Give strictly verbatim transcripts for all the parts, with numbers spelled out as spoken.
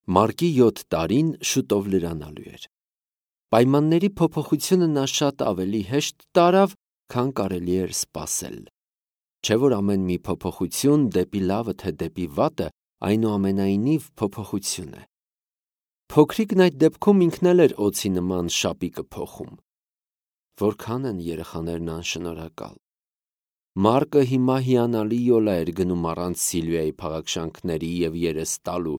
Մարկի յոթ տարին շուտով լրանալու էր։ Պայմանների փոփոխությունը նա շատ ավելի հեշտ տարավ, քան կարելի էր սպասել։ Չէ՞ որ ամեն մի փոփոխություն դեպի լավը թե դեպի վատը այնուամենայնիվ փոփոխություն է։ Փոքրիկն այդ դեպքում ինքն էլ էր օձի նման շապիկը փոխում։ Որքան են երեխաներն անշնորհակալ։ Մարկը հիմա հիանալի յոլա էր գնում առանց Սիլվիայի փաղաքշանքների և երես տալու,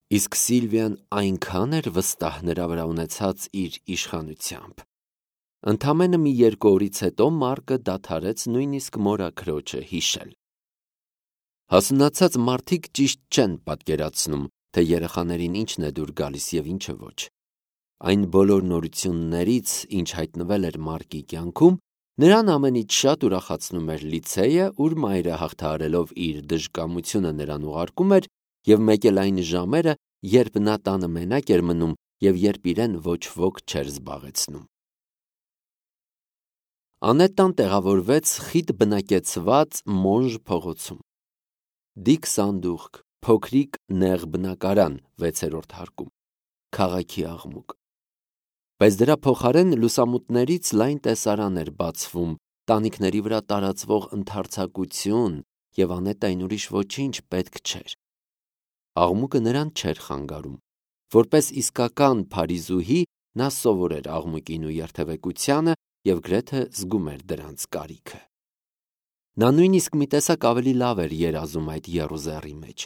իսկ Սիլվիան այնքան էր վստահ նրա վրա ունեցած իր իշխանությամբ։ Ընդամենը մի երկու օրից հետո Մարկը դադարեց նույնիսկ մորաքրոջը հիշել։ Հասունացած մարդիկ ճիշտ չեն պատկերացնում, թե երեխաներին ինչն է դուր գալիս և ինչը ոչ։ Այն բոլոր նորություններից, ինչ հայտնվել էր Մարկի կյանքում, նրան ամենից շատ ուրախացնում էր լիցեյը, ուր մայրը հաղթահարելով իր դժկամությունը նրան ուղարկում էր, և մեկ էլ այն ժամերը, երբ նա տանը մենակ էր մնում և երբ իրեն ոչ ոք չէր զբաղեցնում։ Անետան տեղավորվեց խիտ բնակեցված Մոնժ փողոցում։ Դիք սանդուղք, փոքրիկ նեղ բնակարան վեցերորդ հարկում, քաղաքի աղմուկ։ Բայց դրա փոխարեն լուսամուտներից լայն տեսարան էր բացվում, տանիքների վրա տարածվող ընդարձակություն, և Անետային ուրիշ ոչինչ պետք չէր։ Աղմուկը նրան չէր խանգարում։ Որպես իսկական փարիզուհի նա սովոր էր աղմուկին ու երթևեկությանը և գրեթե զգում էր դրանց կարիքը։ Նա նույնիսկ մի տեսակ ավելի լավ էր երազում այդ եռուզեռի մեջ։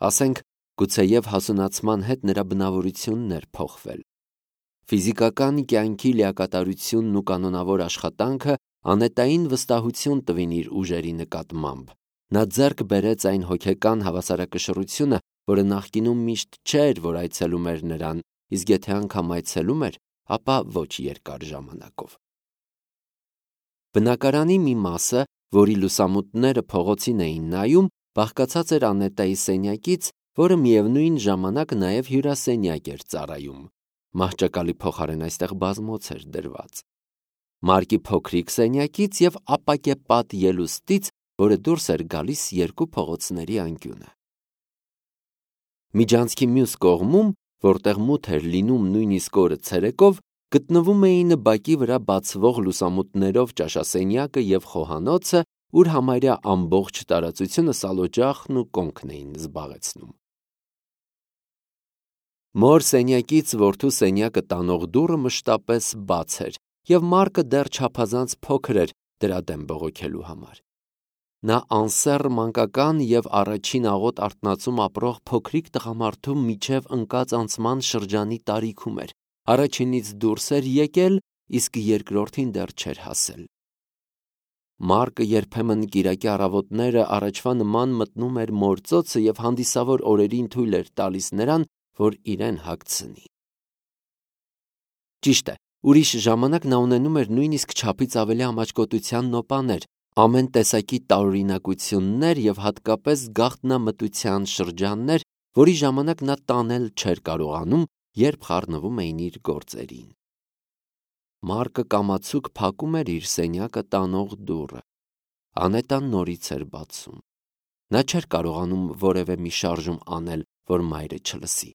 Ասենք, գուցեև հասունացման հետ նրա բնավորությունն էր փոխվել։ Ֆիզիկական կյանքի լիակատարությունն ու կանոնավոր աշխատանքը Անետային վստահություն տվին իր ուժերի նկատմամբ։ Նա ձեռք բերեց այն հոգեկան հավասարակշռությունը, որը նախկինում միշտ չէր, որ այցելում էր նրան, իսկ եթե անգամ այցելում էր, ապա ոչ երկար ժամանակով։ Բնակարանի մի մասը, որի լուսամուտները փողոցին էին նայում, բաղկացած էր Անետայի սենյակից, որը միևնույն ժամանակ նաև հյուրասենյակ էր ծառայում։ Մահճակալի փոխարեն այստեղ բազմոց էր դրված։ Մարկի փոքրիկ սենյակից և ապակեպատ ելուստից, որը դուրս էր գալիս երկու փողոցների անկյունը։ Միջանցքի մյուս կողմում, որտեղ մութ էր լինում նույնիսկ օրը ցերեկով, գտնվում էին բակի վրա բացվող լուսամուտներով ճաշասենյակը և խոհանոցը, ուր համարյա ամբողջ տարածությունը սալօջախն ու կոնքն էին զբաղեցնում։ Մոր սենյակից որդու սենյակը տանող դուռը մշտապես բաց էր, և Մարկը դեռ չափազանց փոքր էր դրա դեմ բողոքելու համար։ Նա անսեռ մանկական և առաջին աղոտ արթնացում ապրող փոքրիկ տղամարդու միջև ընկած անցման շրջանի տարիքում էր, առաջինից դուրս էր եկել, իսկ երկրորդին դեռ չէր հասել։ Մարկը երբեմն կիրակի առավոտները առաջվա նման մտնում էր մոր ծոցը և հանդիսավոր օրերին թույլ էր տալիս նրան, որ իրեն հագցնի։ Ճիշտ է, ուրիշ ժամանակ նա ունենում էր նույնիսկ չափից ավելի ամաչկոտության նոպաներ, ամեն տեսակի տարօրինակություններ և հատկապես գաղտնամտության շրջաններ, որի ժամանակ նա տանել չէր կարողանում, երբ խառնվում էին իր գործերին։ Մարկը կամացուկ փակում էր իր սենյակը տանող դուռը։ Անետան նորից էր բացում։ Նա չէր կարողանում որևէ մի շարժում անել, որ մայրը չլսի։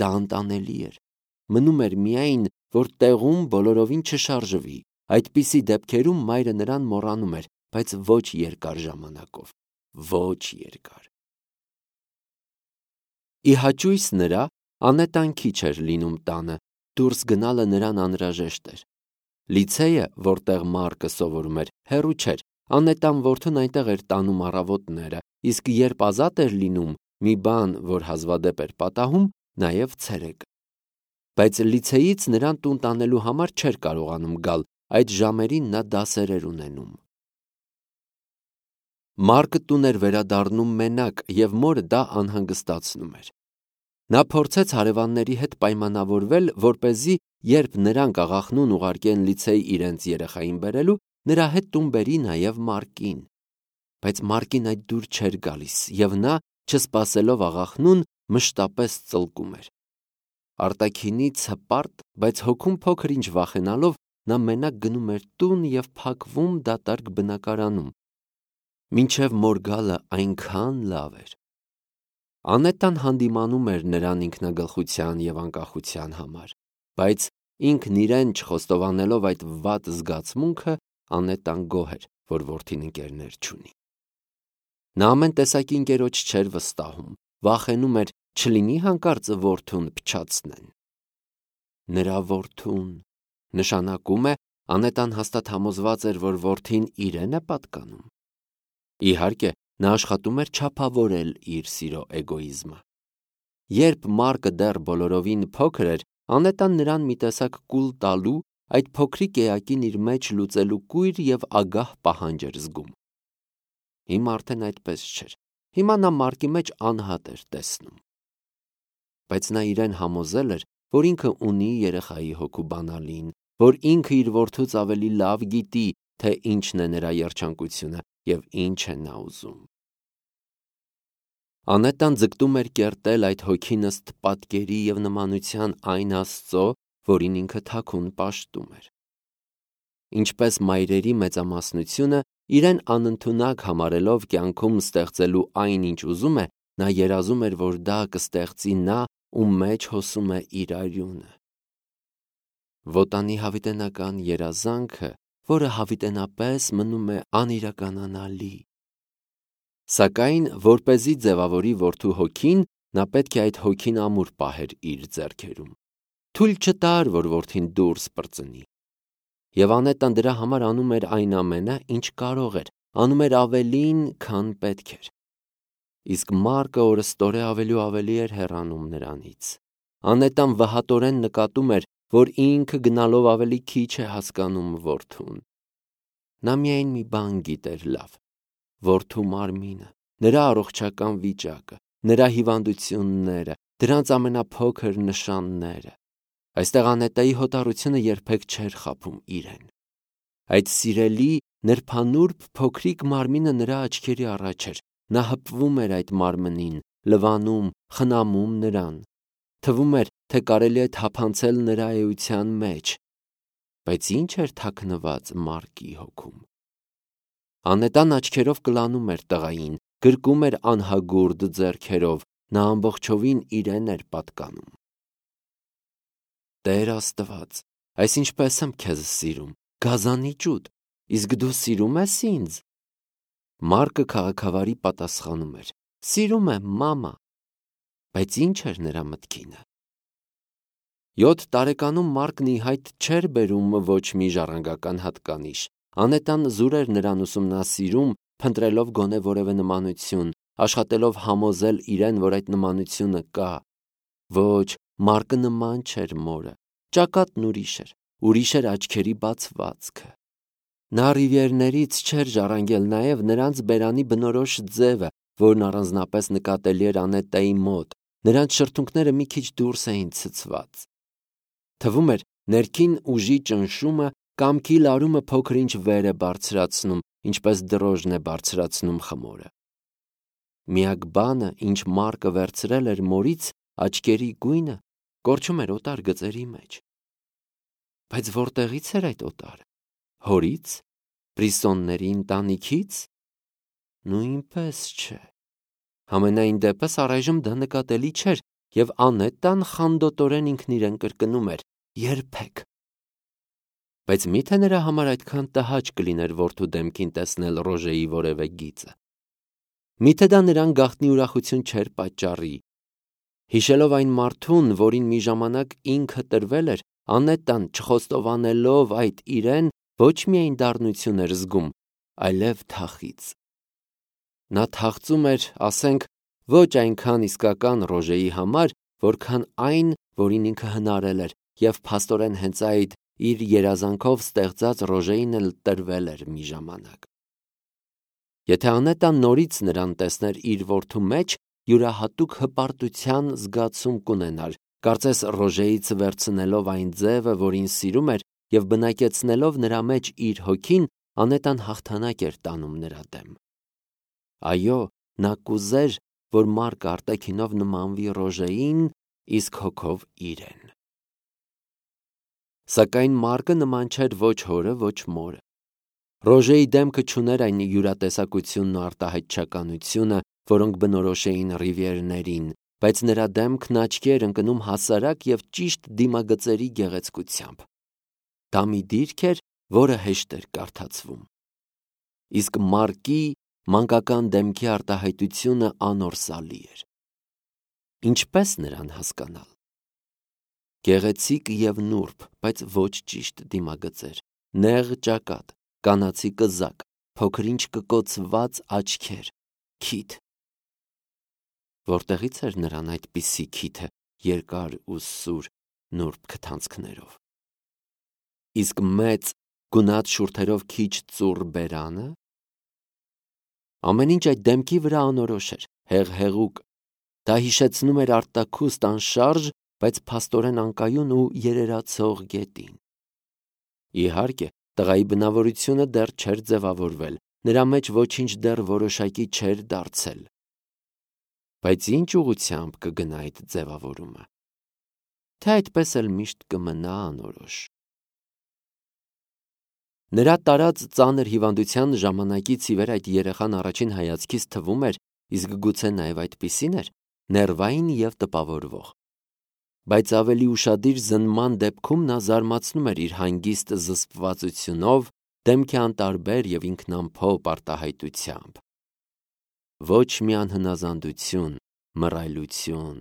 Դա անտանելի էր։ Մնում էր միայն, որ տեղում բոլորովին չշարժվի։ Այդպիսի դեպքերում մայրը նրան մոռանում էր, բայց ոչ երկար ժամանակով, ոչ երկար։ Ի հաճույս նրա, Անետան քիչ էր լինում տանը, դուրս գնալը նրան անհրաժեշտ էր։ Լիցեյը, որտեղ Մարկը սովորում էր, հեռու չէր, Անետան որդուն այնտեղ էր տանում առավոտները, իսկ երբ ազատ էր լինում, մի բան, որ հազվադեպ էր պատահում, նաև ցերեկը։ Բայց լիցեյից նրան տուն տանելու համար չէր կարողանում գալ, այդ ժամերին նա դասեր էր ունենում։ Մարկը տուն էր վերադառնում մենակ, և մորը դա անհանգստացնում էր։ Նա փորձեց հարևանների հետ պայմանավորվել, որպեսզի, երբ նրանք աղախնուն ուղարկեն լիցեյ իրենց երեխային բերելու, նրա հետ տուն բերի նաև Մարկին։ Բայց Մարկին այդ դուր չէր գալիս, և նա, չսպասելով աղախնուն, մշտապես ծլկում էր։ Արտաքինից հպարտ, բայց հոգում փոքր-ինչ վախենալով, նա մենակ գնում էր տուն և փակվում դատարկ բնակարանում։ Մինչև մոր գալը այնքան լավ էր։ Անետան հանդիմանում էր նրան ինքնագլխության և անկախության համար, բայց ինքն իրեն չխոստովանելով այդ վատ զգացմունքը, Անետան գոհ էր, որ որդին ընկերներ չունի։ Նա ամեն տեսակի ընկերոջ չէր վստահում, վախենում էր չլինի հանկարծ որդուն փչացնեն։ Նրա որդուն նշանակում է Անետան հաստատ համոզված էր, որ որդին իրեն է պատկանում։ Իհարկե, նա աշխատում էր չափավորել իր սիրո էգոիզմը։ Երբ Մարկը դեռ բոլորովին փոքր էր, Անետան նրան մի տեսակ կուլ տալու, այդ փոքրիկ էակին իր մեջ լուծելու կույր և ագահ պահանջ էր զգում։ Հիմա արդեն այդպես չէր։ Հիմա նա Մարկի մեջ անհատ էր տեսնում։ Բայց նա իրեն համոզել էր, որ ինքը ունի երեխայի հոգու բանալին, որ ինքը իր որդուց ավելի լավ գիտի, թե ինչն է նրա երջանկությունը և ինչ է նա ուզում։ Անետան ձգտում էր կերտել այդ հոգին ըստ պատկերի և նմանության այն Աստծո, որին ինքը թաքուն պաշտում էր։ Ինչպես մայրերի մեծամասնությունը, իրեն անընդունակ համարելով կյանքում ստեղծելու այն, ինչ ուզում է, նա երազում էր, որ դա կստեղծի նա, ում մեջ հոսում է իր արյունը։ Վոտանի հավիտենական երազանքը, որը հավիտենապես մնում է անիրականանալի։ Սակայն, որպեսզի ձևավորի որդու հոգին, նա պետք է այդ հոգին ամուր պահեր իր ձեռքերում։ Թույլ չտար, որ որդին դուրս պրծնի։ Եվ Անետան դրա համար անում էր այն ամենը, ինչ կարող էր, անում էր ավելին, քան պետք էր։ Իսկ Մարկը օրըստօրե ավելի ու ավելի էր հեռանում նրանից։ Անետան վհատորեն նկատում էր, որ ինքը գնալով ավելի քիչ է հասկանում որդուն։ Նա միայն մի բան գիտեր լավ. որդու մարմինը, նրա առողջական վիճակը, նրա հիվանդությունները, դրանց ամենափոքր նշանները։ Այստեղ Անետայի հոտառությունը երբեք չէր խաբում իրեն։ Այդ սիրելի, նրբանուրբ փոքրիկ մարմինը նրա աչքերի առաջ էր, նա հպվում էր այդ մարմնին, լվանում, խնամում նրան։ Թվում էր, թե կարելի է թափանցել նրա էության մեջ։ Բայց ի՞նչ էր թաքնված Մարկի հոգում։ Անետան աչքերով կլանում էր տղային, գրկում էր անհագուրդ ձեռքերով, նա ամբողջովին իրեն էր պատկանում։ Տեր Աստված, այս ինչպես եմ քեզ սիրում, գազանի ճուտ, իսկ դու սիրում ես ինձ։ Մարկը քաղաքավարի պատասխանում էր. Սիրում եմ, մամա։ Բայց ի՞նչ էր նրա մտքինը։ Յոթ տարեկանում Մարկն ի հայտ չէր բերում ոչ մի ժառանգական հատկանիշ։ Անետան զուր էր նրան ուսումնասիրում, փնտրելով գոնե որևէ նմանություն, աշխատելով համոզել իրեն, որ այդ նմանությունը կա։ Ոչ, Մարկը նման չէր մորը, ճակատն ուրիշ էր, ուրիշ էր աչքերի բացվածքը։ Նա ռիվիերներից չէր ժառանգել նաև նրանց բերանի բնորոշ ձևը, որն առանձնապես նկատելի էր Անետայի մոտ, նրանց շրթունքները մի քիչ դուրս էին ցցված։ Թվում էր, ներքին ուժի ճնշումը, կամքի լարումը փոքր-ինչ վեր է բարձրացնում, ինչպես դրոշն է բարձրացնում խմորը։ Միակ բանը, ինչ Մարկը վերցրել էր մորից, աչքերի գույնը, կորչում էր օտար գծերի մեջ։ Բայց որտեղից էր այդ օտարը։ Հորից, Բրիսոնների ընտանիքից։ Նույնպես չէ։ Համենայն դեպս առայժմ դա նկատելի չէր, և Անետան խանդոտորեն ինքն իրեն կրկնում էր. երբեք։ Բայց մի՞թե նրա համար այդքան տհաճ կլիներ որդու դեմքին տեսնել Ռոժեի որևէ գիծը։ Մի՞թե դա նրան գաղտնի ուրախություն չէր պատճառի։ Հիշելով այն մարդուն, որին մի ժամանակ ինքը տրվել էր, Անետան, չխոստովանելով այդ իրեն, ոչ միայն դառնություն էր զգում, այլև թախիծ։ Նա թախծում էր, ասենք, ոչ այնքան իսկական Ռոժեի համար, որքան այն, որին ինքը հնարել էր, և փաստորեն հենց այդ իր երազանքով ստեղծած Ռոժեին էլ տրվել էր մի ժամանակ։ Եթե Անետան նորից նրան տեսներ իր որդու մեջ, յուրահատուկ հպարտության զգացում կունենար, կարծես Ռոժեից վերցնելով այն ձևը, որին սիրում էր, և բնակեցնելով նրա մեջ իր հոգին, Անետան հաղթանակ էր տանում նրա դեմ։ Այո, նա կուզեր, որ Մարկը արտաքինով նմանվի Ռոժեին, իսկ հոգով իրեն։ Սակայն Մարկը նման չէր ոչ հորը, ոչ մորը։ Ռոժեի դեմքը չուներ այն յուրատեսակությունն ու արտահայտչականությունը, որոնք բնորոշ էին Ռիվիերներին, բայց նրա դեմքն աչքի էր ընկնում հասարակ և ճիշտ դիմագծերի գեղեցկությամբ։ Դա մի դիրք էր, որը հեշտ էր կարդացվում։ Իսկ Մարկի մանկական դեմքի արտահայտությունը անորսալի էր։ Ինչպես նրան հասկանալ։ Գեղեցիկ և նուրբ, բայց ոչ ճիշտ դիմագծեր, նեղ ճակատ, կանացի կզակ, փոքր-ինչ կկոցված աչքեր, քիթ։ Որտեղից էր նրան այդպիսի քիթը երկար ու սուր նուրբ քթանցքներով։ Իսկ մեծ գունատ շուրթերով քիչ ծուռ բերանը։ Ամեն ինչ այդ դեմքի վրա անորոշ էր, հեղհեղուկ։ Դա հիշեցնում էր արտաքուստ անշարժ, բայց փաստորեն անկայուն ու երերացող գետին։ Իհարկե, տղայի բնավորությունը դեռ չէր ձևավորվել, նրա մեջ ոչինչ դեռ որոշակի չէր դարձել։ Բայց ինչ ուղղությամբ կգնա այդ ձևավորումը, թե այդպես էլ միշտ կմնա անորոշ։ Նրա տարած ծանր հիվանդության ժամանակից ի վեր այդ երեխան առաջին հայացքից թվում էր, իսկ գուցե նաև այդպիսին էր, ներվային և տպավորվող։ Բայց ավելի ուշադիր զննման դեպքում նա զարմացնում էր իր հանգիստ զսպվածությունով, դեմքի անտարբեր և ինքնամփոփ արտահայտությամբ։ Ոչ մի անհնազանդություն, մռայլություն,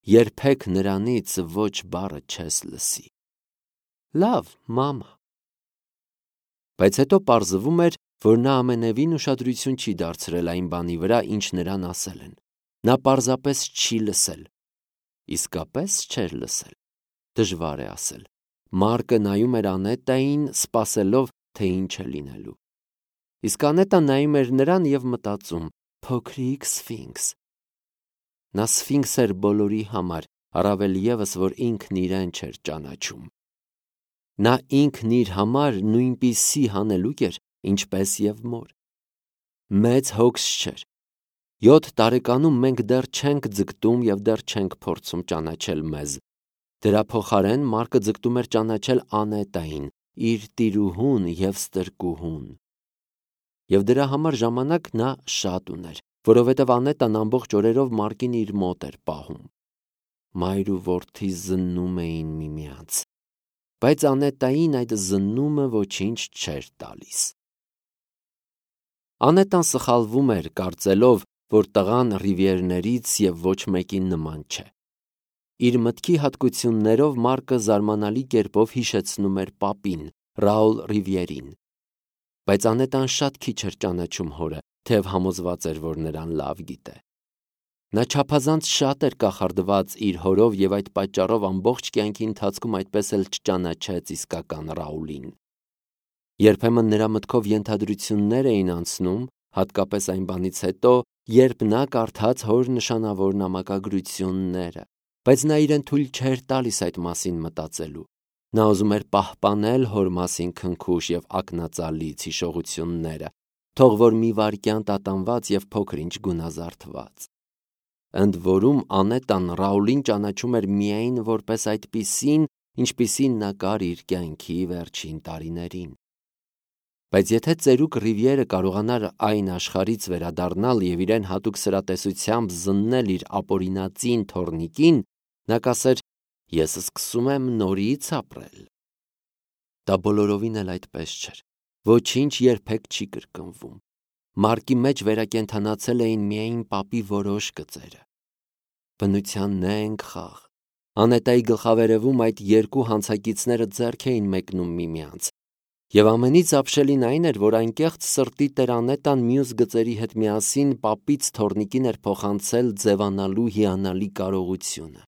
երբեք նրանից ոչ բառը չես լսի։ Լավ, մամա։ Բայց հետո պարզվում էր, որ նա ամենևին ուշադրություն չի դարձրել այն բանի վրա, ինչ նրան ասել են։ Նա պարզապես չի լսել։ Իսկապես չէր լսել։ Դժվար է ասել։ Մարկը նայում էր Անետային, սպասելով, թե ինչ է լինելու։ Իսկ Անետան նայում էր նրան և մտածում. փոքրիկ սֆինքս։ Նա սֆինքս էր բոլորի համար, առավել ևս, որ ինքն իրեն չէր ճանաչում։ Նա ինքն իր համար նույնպիսի հանելուկ էր, ինչպես և մոր։ Մեծ հոգս չէր։ Յոթ տարեկանում մենք դեռ չենք ձգտում և դեռ չենք փորձում ճանաչել մեզ։ Դրա փոխարեն Մարկը ձգտում էր ճանաչել Անետային, իր տիրուհուն և ստրկուհուն։ Եվ դրա համար ժամանակ նա շատ ուներ, որովհետև Անետան ամբողջ օրերով Մարկին իր մոտ էր պահում։ Մայր ու որդի զննում էին միմյանց, բայց Անետային այդ զննումը ոչինչ չէր տալիս։ Անետան սխալվում էր, կարծելով, որ տղան Ռիվիերներից և ոչ մեկին նման չէ։ Իր մտքի հատկություններով Մարկը զարմանալի կերպով հիշեցնում էր պապին, Ռաուլ Ռիվիերին։ Բայց Անետան շատ քիչ էր ճանաչում հորը, թեև համոզված էր, որ նրան լավ գիտե։ Նա չափազանց շատ էր կախարդված իր հորով և այդ պատճառով ամբողջ կյանքի ընթացքում այդպես էլ չճանաչեց իսկական Ռաուլին։ Երբեմն նրա մտքով ենթադրություններ էին անցնում, հատկապես այն բանից հետո, երբ նա կարդաց հոր նշանավոր նամակագրությունները, բայց նա իրեն թույլ չէր տալիս այդ մասին մտածելու։ Նա ուզում էր պահպանել հոր մասին քնքուշ և ակնածալից հիշողությունները, թող որ մի վայրկյան տատանված և փոքր-ինչ գունազարդված։ Ընդ որում Անետան Ռաուլին ճանաչում էր միայն որպես այդպիսին, ինչպիսին նա կար իր կյանքի վերջին տարիներին։ Բայց եթե ծերուկ Ռիվիերը կարողանար այն աշխարհից վերադառնալ և իրեն հատուկ սրատեսությամբ զննել իր ապօրինածին թոռնիկին, նա կասեր. «Ես սկսում եմ նորից ապրել»։ Դա բոլորովին էլ այդպես չէր։ Ոչինչ երբեք չի կրկնվում։ Մարկի մեջ վերակենդանացել էին միայն պապի որոշ գծերը։ Բնության նենգ խաղ։ Անետայի գլխավերևում այդ երկու հանցակիցները ձեռք էին մեկնում միմյանց։ Եվ ամենից ապշելին այն էր, որ անկեղծ սրտի տեր Անետան մյուս գծերի հետ միասին պապից թոռնիկին էր փոխանցել ձևանալու հիանալի կարողությունը։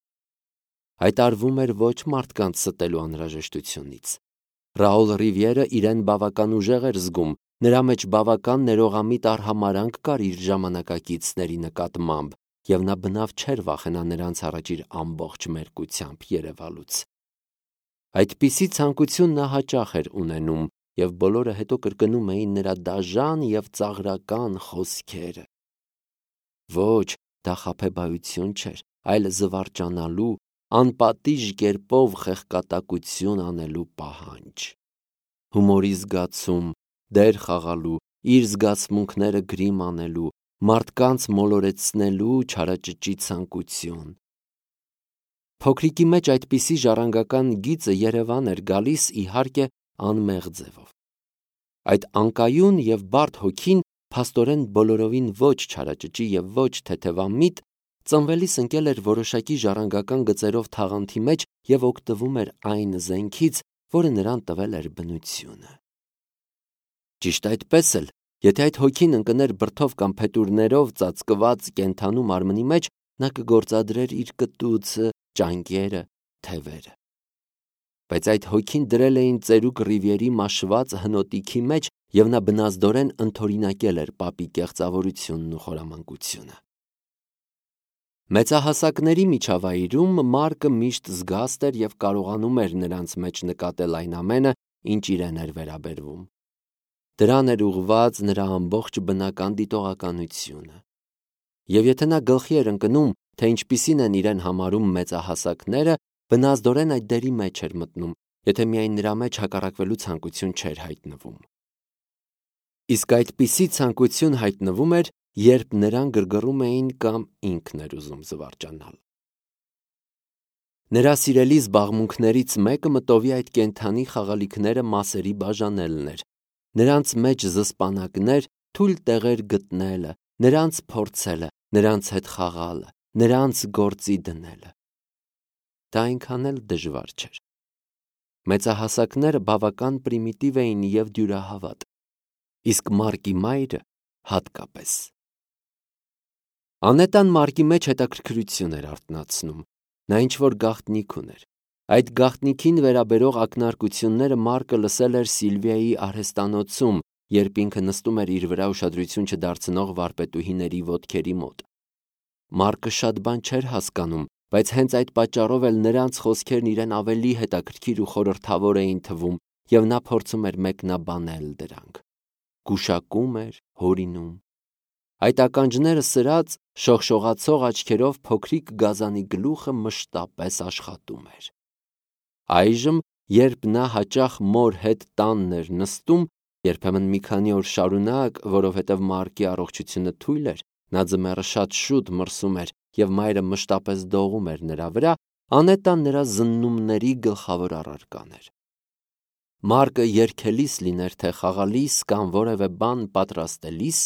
Այդ արվում էր ոչ մարդկանց ստելու անհրաժեշտությունից։ Ռաուլ Ռիվիերը իրեն բավական ուժեղ էր զգում, նրա մեջ բավական ներողամիտ արհամարհանք կար իր ժամանակակիցների նկատմամբ, և նա բնավ չէր վախենա նրանց առաջ իր ամբողջ մերկությամբ երևալուց։ Այդպիսի ցանկություն նա հաճախ էր ունենում, և բոլորը հետո կրկնում էին նրա դաժան և ծաղրական խոսքերը։ Ոչ, դա խաբեբայություն չէր, այլ զվարճանալու, անպատիժ կերպով խեղկատակություն անելու պահանջ։ Հումորի զգացում, դեր խաղալու, իր զգացմունքները գրիմ անելու, մարդկանց մոլորեցնելու չարաճճի ցանկություն։ Փոքրիկի մեջ այդպիսի ժառանգական գիծը Երևան էր գալիս, իհարկե, անմեղ ձևով։ Այդ անկայուն և բարդ հոգին փաստորեն բոլորովին ոչ չարաճճի և ոչ թեթևամիտ, ծնվելիս ընկել էր որոշակի ժառանգական գծերով թաղանթի մեջ և օգտվում էր այն զենքից, որը նրան տվել էր բնությունը։ Ճիշտ այդպես էլ, եթե այդ հոգին ընկներ բրդով կամ փետուրներով ծածկված կենդանու մարմնի մեջ, նա կգործադրեր իր կտուցը, ճանկերը, թևերը։ Բայց այդ հոգին դրել էին ծերուկ Ռիվիերի մաշված հնոտիքի մեջ և նա բնազդորեն ընդօրինակել էր պապի կեղծավորությունն ու խորամանկությունը։ Մեծահասակների միջավայրում Մարկը միշտ զգաստ էր և կարողանում էր նրանց մեջ նկատել այն ամենը, ինչ իրեն էր վերաբերվում։ Դրան էր ուղղված նրա ամբողջ բնական դիտողականությունը։ Եվ եթե նա գլխի էր ընկնում, թե ինչպիսին են իրեն համարում մեծահասակները, բնազդորեն այդ դերի մեջ էր մտնում, եթե միայն նրա մեջ հակառակվելու ցանկություն չէր հայտնվում։ Իսկ այդպիսի ցանկություն հայտնվում էր, երբ նրան գրգռում էին կամ ինքն էր ուզում զվարճանալ։ Նրա սիրելի զբաղմունքներից մեկը մտովի այդ կենդանի խաղալիքները մասերի բաժանելն էր, նրանց մեջ զսպանակներ, թույլ տեղեր գտնելը, նրանց փորձելը, նրանց հետ խաղալը, նրանց գործի դնելը։ Դա այնքան էլ դժվար չէր։ Մեծահասակները բավական պրիմիտիվ էին և դյուրահավատ, իսկ Մարկի մայրը հատկապես։ Անետան Մարկի մեջ հետաքրքրություն էր արթնացնում, նա ինչ-որ գաղտնիք ուներ։ Այդ գաղտնիքին վերաբերող ակնարկությունները Մարկը լսել էր Սիլվիայի արհեստանոցում, երբ ինքը նստում էր իր վրա ուշադրություն չդարձնող վարպետուհիների ոտքերի մոտ։ Մարկը շատ բան չէր հասկանում, բայց հենց այդ պատճառով էլ նրանց խոսքերն իրեն ավելի հետաքրքիր ու խորհրդավոր էին թվում, և նա փորձում էր մեկնաբանել դրանք։ Գուշակում էր, հորինում։ Այդ ականջները սրած, շողշողացող աչքերով փոքրիկ գազանի գլուխը մշտապես աշխատում էր։ Այժմ, երբ նա հաճախ մոր հետ տանն էր նստում, երբեմն մի քանի օր շարունակ, որովհետև Մարկի առողջությունը թույլ էր, նա ձմեռը շատ շուտ մրսում էր և մայրը մշտապես դողում էր նրա վրա, Անետան նրա զննումների գլխավոր առարկան էր։ Մարկը երգելիս լիներ, թե խաղալիս կամ որևէ բան պատրաստելիս,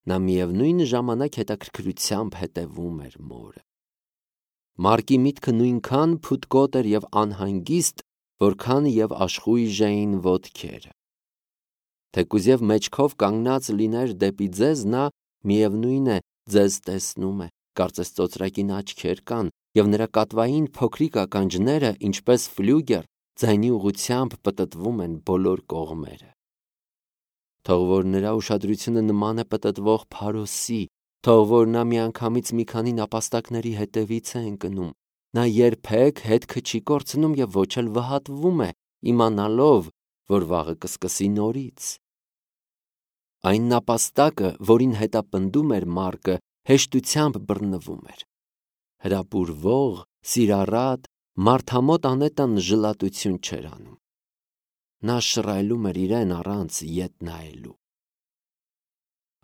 նա միևնույն ժամանակ հետաքրքրությամբ հետևում էր մորը։ Մարկի միտքը նույնքան փութկոտ էր և անհանգիստ, որքան և աշխույժ էին ոտքերը։ Թեկուզ և մեջքով կանգնած լիներ դեպի ձեզ, նա, միևնույն է, ձեզ տեսնում է, կարծես ծոծրակին աչքեր կան, և նրա կատվային փոքրիկ ականջները, ինչպես ֆլյուգեր, ձայնի ուղղությամբ պտտվում են բոլոր կողմերը։ Թող որ նրա ուշադրությունը նման է պտտվող փարոսի, թող որ նա միանգամից մի քանի նապաստակների հետևից է ընկնում, նա երբեք հետքը չի կորցնում և ոչ էլ վհատվում է, իմանալով, որ վաղը կսկսի նորից։ Այն նապաստակը, որին հետապնդում էր Մարկը, հեշտությամբ բռնվում էր։ Հրապուրվող, սիրառատ, մարդամոտ Անետան ժլատություն չէր անում։ Նա շռայլում էր իրեն առանց ետ նայելու։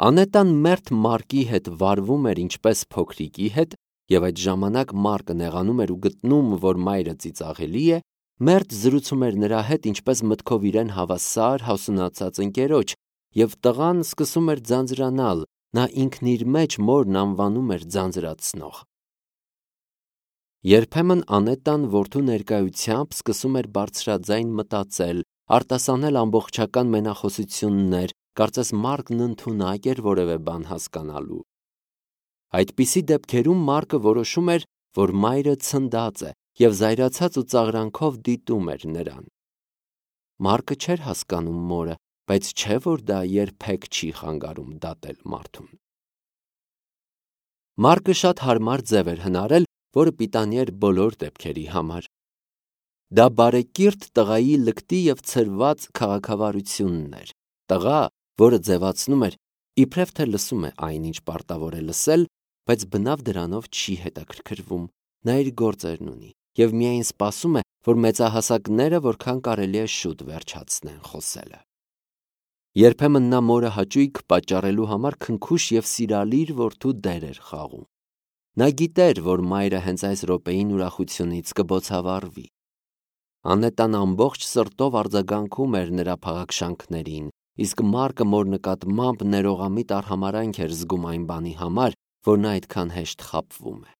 Անետան մերթ Մարկի հետ վարվում էր ինչպես փոքրիկի հետ, և այդ ժամանակ Մարկը նեղանում էր ու գտնում, որ մայրը ծիծաղելի է, մերթ զրուցում էր նրա հետ ինչպես մտքով իրեն հավասար հասունացած ընկերոջ, և տղան սկսում էր ձանձրանալ, նա ինքն իր մեջ մորն անվանում էր ձանձրացնող։ Երբեմն Անետան որդու ներկայությամբ սկսում էր բարձրաձայն մտածել, արտասանել ամբողջական մենախոսություններ, կարծես Մարկն ընդունակ էր որևէ բան հասկանալու։ Այդպիսի դեպքերում Մարկը որոշում էր, որ մայրը ցնդած է և զայրացած ու ծաղրանքով դիտում էր նրան։ Մարկը չէր հասկանում մորը, բայց չէ՞ որ դա երբեք չի խանգարում դատել մարդուն։ Մարկը շատ հարմար ձև էր հնարել, որը պիտանի էր բոլոր դեպքերի համար։ Դա բարեկիրթ տղայի լկտի և ցրված քաղաքավարությունն էր, տղա, որը ձևացնում էր, իբրև թե լսում է այն, ինչ պարտավոր է լսել, բայց բնավ դրանով չի հետաքրքրվում, նա իր գործերն ունի և միայն սպասում է, որ մեծահասակները որքան կարելի է շուտ վերջացնեն խոսելը։ Երբեմն նա մորը հաճույք պատճառելու համար քնքուշ և սիրալիր որդու դեր էր խաղում։ Նա գիտեր, որ մայրը հենց այս րոպեին ուրախությունից կբոցավառվի։ Անետան ամբողջ սրտով արձագանքում էր նրա փաղաքշանքներին, իսկ Մարկը մոր նկատմամբ ներողամիտ արհամարհանք էր զգում այն բանի համար, որ նա այդքան հեշտ խաբվում է։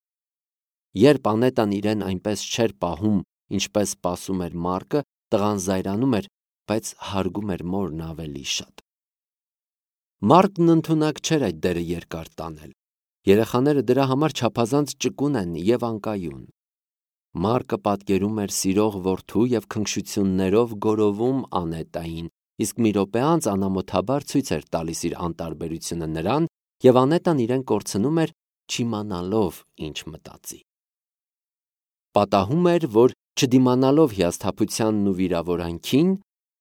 Երբ Անետան իրեն այնպես չէր պահում, ինչպես սպասում էր Մարկը, տղան զայրանում էր, բայց հարգում էր մորն ավելի շատ։ Մարկն ընդունակ չէր այդ դերը երկար տանել։ Երեխաները դրա համար չափազանց ճկուն են և անկայուն։ Մարկը պատկերում էր սիրող որդու և քնքշություններով գորովում Անետային, իսկ մի րոպե անց անամոթաբար ցույց էր տալիս իր անտարբերությունը նրան, և Անետան իրեն կորցնում էր, չիմանալով ինչ մտածի։ Պատահում էր, որ չդիմանալով հիասթափությանն ու վիրավորանքին,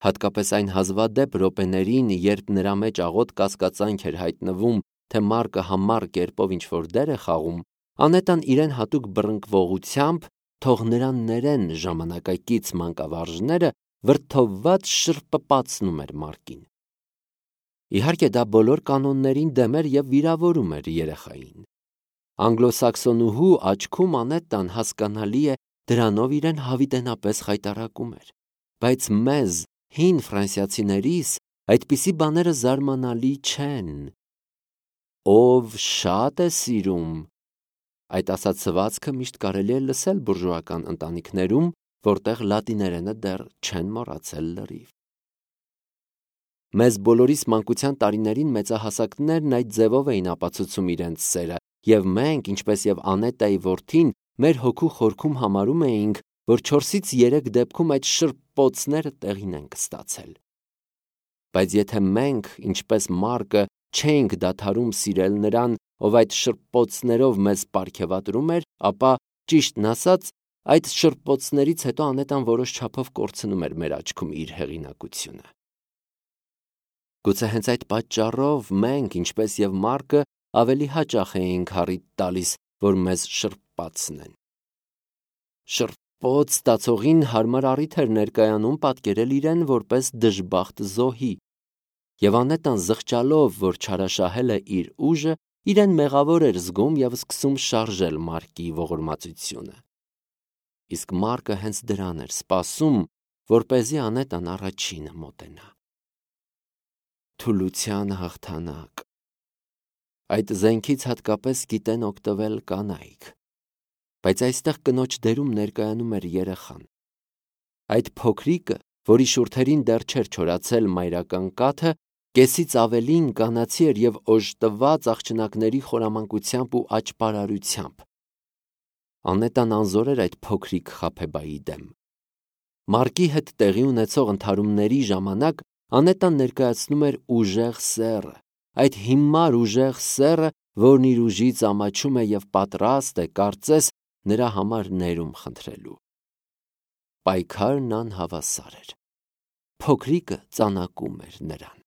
հատկապես այն հազվադեպ րոպեներին, երբ նրա մեջ աղոտ կասկածանք էր հայտնվում, թե Մարկը համառ կերպով ինչ-որ դեր է խաղում, Անետան իրեն հատուկ բռնկվողությամբ, թող նրան ներեն ժամանակակից մանկավարժները, վրդովված շրպպացնում էր Մարկին։ Իհարկե, դա բոլոր կանոններին դեմ էր և վիրավորում էր երեխային։ Անգլոսաքսոնուհու աչքում Անետան, հասկանալի է, դրանով իրեն հավիտենապես խայտառակում էր, բայց մեզ, հին ֆրանսիացիներիս, այդպիսի բաները զարմանալի չեն։ Ով շատ է սիրում, այդ ասացվածքը միշտ կարելի է լսել բուրժուական ընտանիքներում, որտեղ լատիներենը դեռ չեն մոռացել լրիվ։ Մեզ բոլորիս մանկության տարիներին մեծահասակներն այդ ձևով էին ապացուցում իրենց սերը, և մենք, ինչպես և Անետայի որդին, մեր հոգու խորքում համարում էինք, որ չորսից երեք դեպքում այդ շրպոցները տեղին են կստացել։ Բայց եթե մենք, ինչպես Մարկը, չէինք դադարում սիրել նրան, ով այդ շրպոցներով մեզ պարգևատրում էր, ապա, ճիշտն ասած, այդ շրպոցներից հետո Անետան որոշ չափով կորցնում էր մեր աչքում իր հեղինակությունը։ Գուցե հենց այդ պատճառով մենք, ինչպես և Մարկը, ավելի հաճախ էինք առիթ տալիս, որ մեզ շրպացնեն։ Շրպոց ստացողին հարմար առիթ էր ներկայանում պատկերել իրեն որպես դժբախտ զոհի, և Անետան զղջալով, որ չարաշահել է իր ուժը, իրեն մեղավոր էր զգում և սկսում շարժել Մարկի ողորմածությունը։ Իսկ Մարկը հենց դրան էր սպասում, որպեսզի Անետան առաջինը մոտենա։ Թուլության հաղթանակ։ Այդ զենքից հատկապես գիտեն օգտվել կանայք, բայց այստեղ կնոջ դերում ներկայանում էր երեխան։ Այդ փոքրիկը, որի շուրթերին դեռ չէր չորացել մայրական կաթը, կեսից ավելին կանացի էր և օժտված աղջնակների խորամանկությամբ ու աճպարարությամբ։ Անետան անզոր էր այդ փոքրիկ խաբեբայի դեմ։ Մարկի հետ տեղի ունեցող ընդհարումների ժամանակ Անետան ներկայացնում էր ուժեղ սեռը, այդ հիմար ուժեղ սեռը, որն իր ուժից ամաչում է և պատրաստ է, կարծես, նրա համար ներում խնդրելու։ Պայքարն անհավասար էր։ Փոքրիկը ծանակում էր նրան։